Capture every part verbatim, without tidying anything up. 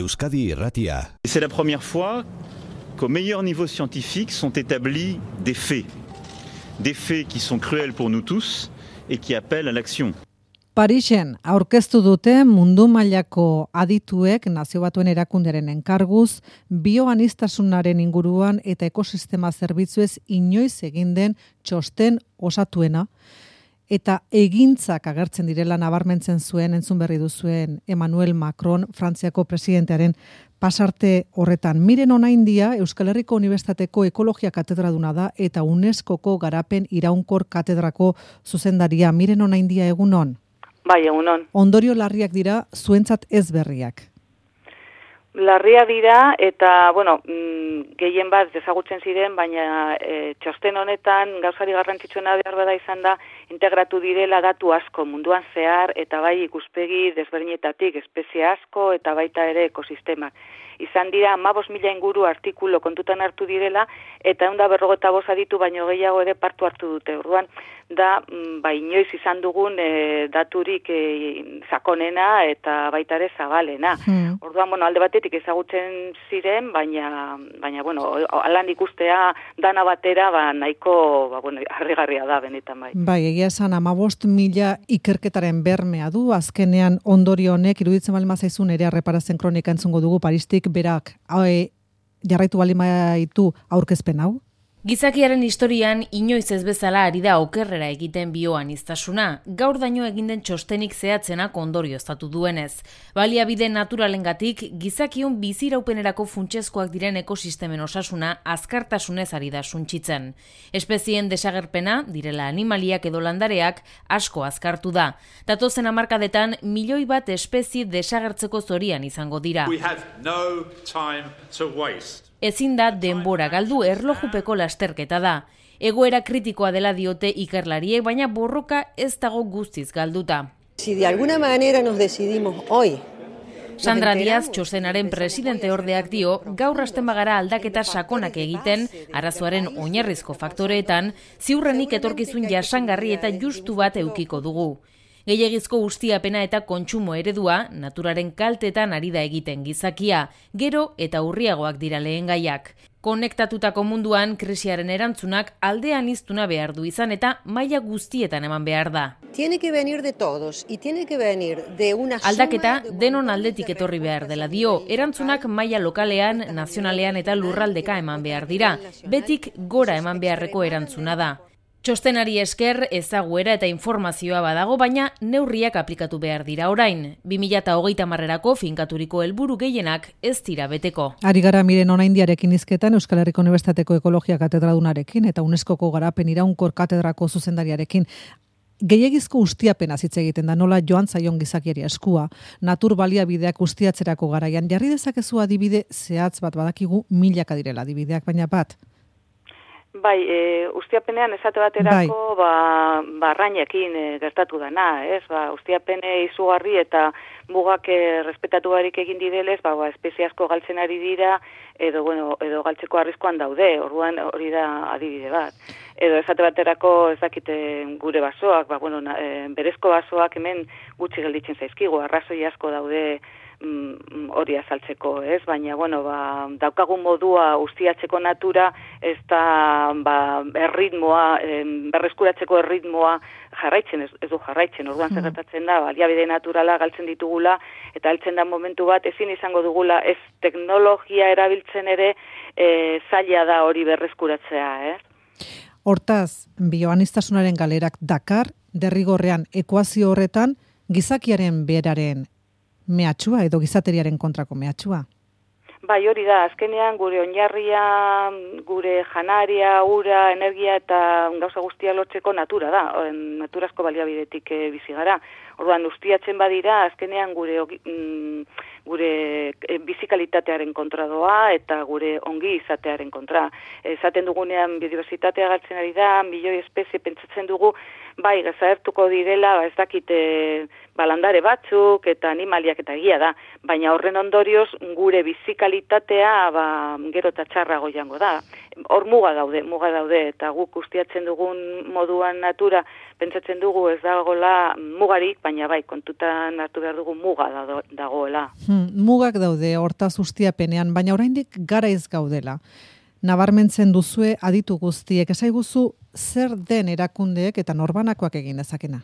Euskadi Irratia. C'est la première fois qu'au meilleur niveau scientifique sont établis des faits. Des faits qui sont cruels pour nous tous et qui appellent à l'action. Parisen aurkeztu dute mundu mailako adituek Nazio Batuen Erakundearen enkarguz bioanistasunaren inguruan eta ekosistema zerbitzuez inoiz egin den txosten osatuena eta egintzak agertzen direla nabarmentzen zuen entzun berri duzuen Emmanuel Macron Frantziako presidentearen pasarte horretan. Miren Onaindia Euskal Herriko Unibertsitateko ekologia katedraduna da eta UNESCOko garapen iraunkor katedrako zuzendaria. Miren Onaindia, egunon. Bai, egunon. Ondorio larriak dira, zuentzat ez berriak. Larria dira eta, bueno, gehien bat dezagutzen ziren, baina e, txosten honetan gauzari garrantzitsuena behar bada izan da, integratu direla datu asko munduan zehar eta bai ikuspegi desberdinetatik, espezie asko eta baita ere ekosistemak. Izan dira hamabost mila inguru artikulu kontutan hartu direla eta ehun eta berrogeita bost aditu baino gehiago ere partu hartu dute. Orduan da ba inoiz izan dugun e, daturik e, sakonena eta baita ere zabalena. Hmm. Orduan bueno, alde batetik ezagutzen ziren, baina baina bueno, alan ikustea dana batera ba nahiko ba bueno, harrigarria da benetan bai. Bai, egia esan hamabost mila ikerketaren bermea du, azkenean ondorio honek iruditzen baldin bazaizun ere erreparatzen kronika entzungo dugu Paristik berak hae, jarraitu baldin baitu aurkezpen hau? Gizakiaren historian inoiz ez bezala ari da okerrera egiten bioaniztasuna, gaur daño egin den txostenik zehatzenak ondorioztatu duenez. Baliabide naturalengatik gizakion biziraupenerako funtsezkoak diren ekosistemen osasuna azkartasunez ari da suntsitzen. Espezien desagerpena, direla animaliak edo landareak, asko azkartu da. Datozen hamarkadetan milioi bat espezie desagertzeko zorian izango dira. We have no time to waste. Ezin da denbora galdu erlojupeko lasterketa da. Egoera kritikoa dela diote ikerlariek, baina borroka ez dago guztiz galduta. Si de alguna manera nos decidimos hoy. Sandra Díaz, txostenaren presidente ordeak dio, gaur hasten bagara aldaketa sakonak egiten, arazoaren oinarrizko faktoreetan, ziurrenik etorkizun jasangarri eta justu bat eukiko dugu. Gehiegizko ustiapena eta kontsumo eredua, naturaren kaltetan ari da egiten gizakia, gero eta urriagoak dira lehengaiak. Konektatutako munduan krisiaren erantzunak aldean iztuna behar du izan eta maila guztietan eman behar da. Tiene que venir de todos y tiene que venir de una Aldaketa denon aldetik etorri behar dela dio, erantzunak maila lokalean, nazionalean eta lurraldeka eman behar dira, betik gora eman beharreko erantzuna da. Txostenari esker ezaguera eta informazioa badago, baina neurriak aplikatu behar dira orain. bi mila hogeita hamarrerako finkaturiko helburu gehienak ez dira beteko. Ari gara Miren Onaindiarekin hizketan Euskal Herriko Unibertsitateko ekologia katedradunarekin eta UNESCOko garapen iraunkor katedrako zuzendariarekin. Gehiegizko ustiapena hitz egiten da, nola joan zaion gizakiari eskua, natur baliabideak ustiatzerako garaian. Jarri dezakezu adibide zehatz bat, badakigu milaka direla adibideak, baina bat. Bai, e, ustiapenean esate baterako bai. ba, barrainekin e, gertatu dana, ez? Ba, ustiapene izugarri eta mugak e, respetatu barik egin didelez, ba, ba, espezie asko galtzen ari dira, edo, bueno, edo galtzeko arriskuan daude, orduan hori da adibide bat. Edo esate baterako ez dakite gure basoak, ba, bueno, na, e, berezko basoak hemen gutxi gelditzen zaizkigu, arrazoi asko daude hori mm, azaltzeko, ez? Baina, bueno, ba, daukagun modua ustiatzeko natura, ez da ba, erritmoa, em, berreskuratzeko erritmoa jarraitzen, ez, ez du jarraitzen. Orduan zer gertatzen da, baliabide naturala galtzen ditugula, eta heltzen da momentu bat ezin izango dugula, ez teknologia erabiltzen ere e, zaila da hori berreskuratzea, ez? Hortaz, bioanistasunaren galerak dakar, derrigorrean ekuazio horretan, gizakiaren beraren mehatxua edo gizateriaren kontrako mehatxua. Bai, hori da, azkenean gure oinarria, gure janaria, ura, energia eta gauza guztia lotzeko natura da, naturazko baliabidetik e, bizi gara. Orduan, ustiatzen badira, azkenean gure mm, gure e, bizikalitatearen kontra doa eta gure ongi izatearen kontra. Esaten dugunean biodiversitatea galtzen ari da, milioi espezie pentsatzen dugu, bai, desagertuko direla, ba, ez dakite balandare batzuk eta animaliak eta egia da, baina horren ondorioz gure bizikalitatea ba, gero eta txarrago jango da. Hor muga daude, muga daude, eta guk ustiatzen dugun moduan natura, pentsatzen dugu ez dagoela mugarik, baina bai, kontutan hartu behar dugu muga dagoela. Hmm, mugak daude hortaz ustiapenean, baina oraindik garaiz gaudela. Nabarmentzen duzue aditu guztiek, esaiguzu zer den erakundeek eta norbanakoak egin dezakena?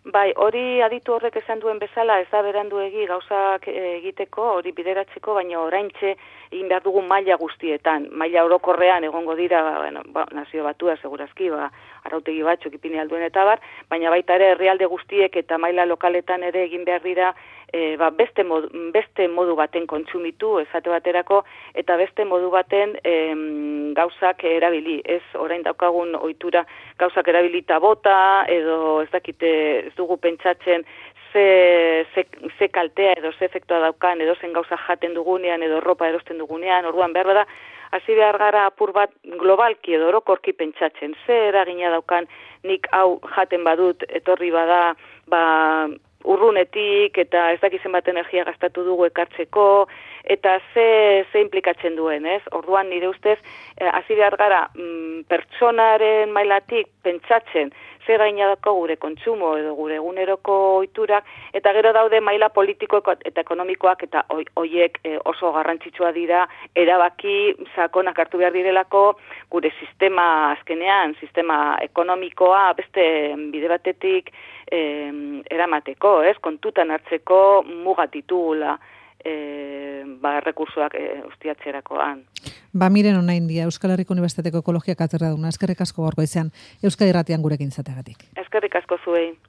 Bai, hori aditu horrek esan duen bezala, ez da beranduegi gauzak egiteko, hori bideratzeko, baina oraintxe egin behar dugu maila guztietan. Maila orokorrean egongo dira, bueno, ba, nazio batua, segurazki, ba, arautegi batzuk ipini alduen eta bar, baina baita ere herrialde guztiek eta maila lokaletan ere egin behar dira e, ba, beste, modu, beste modu baten kontsumitu, esate baterako, eta beste modu baten em, gauzak erabili. Ez orain daukagun ohitura gauzak erabilita bota, edo ez dakite ez dugu pentsatzen ze, ze, ze kaltea edo ze efektua daukan, edo zen gauza jaten dugunean, edo ropa erosten dugunean, orduan behar da, hasi behar gara apur bat globalki edo orokorki pentsatzen, ze eragina daukan nik hau jaten badut, etorri bada, ba, urrunetik eta ez dakizen bat energia gastatu dugu ekartzeko, eta ze, ze implikatzen duen, ez? Orduan nire ustez, hasi behar gara mm, pertsonaren mailatik pentsatzen, ze gaina dako gure kontsumo edo gure eguneroko ohiturak, eta gero daude maila politiko eta ekonomikoak eta hoiek oso garrantzitsua dira, erabaki sakonak hartu behar direlako gure sistema azkenean, sistema ekonomikoa beste bide batetik eh, eramateko, ez? Kontutan hartzeko mugat ditugula eh, ba, rekursoak eh, ustiatzerakoan. Ba, miren onain dia, Euskal Herriko Unibertsitateko Ekologia katedraduna, eskerrik asko gaurko izan, Euskadi Irratian gurekin izateagatik. Eskerrik asko zuei.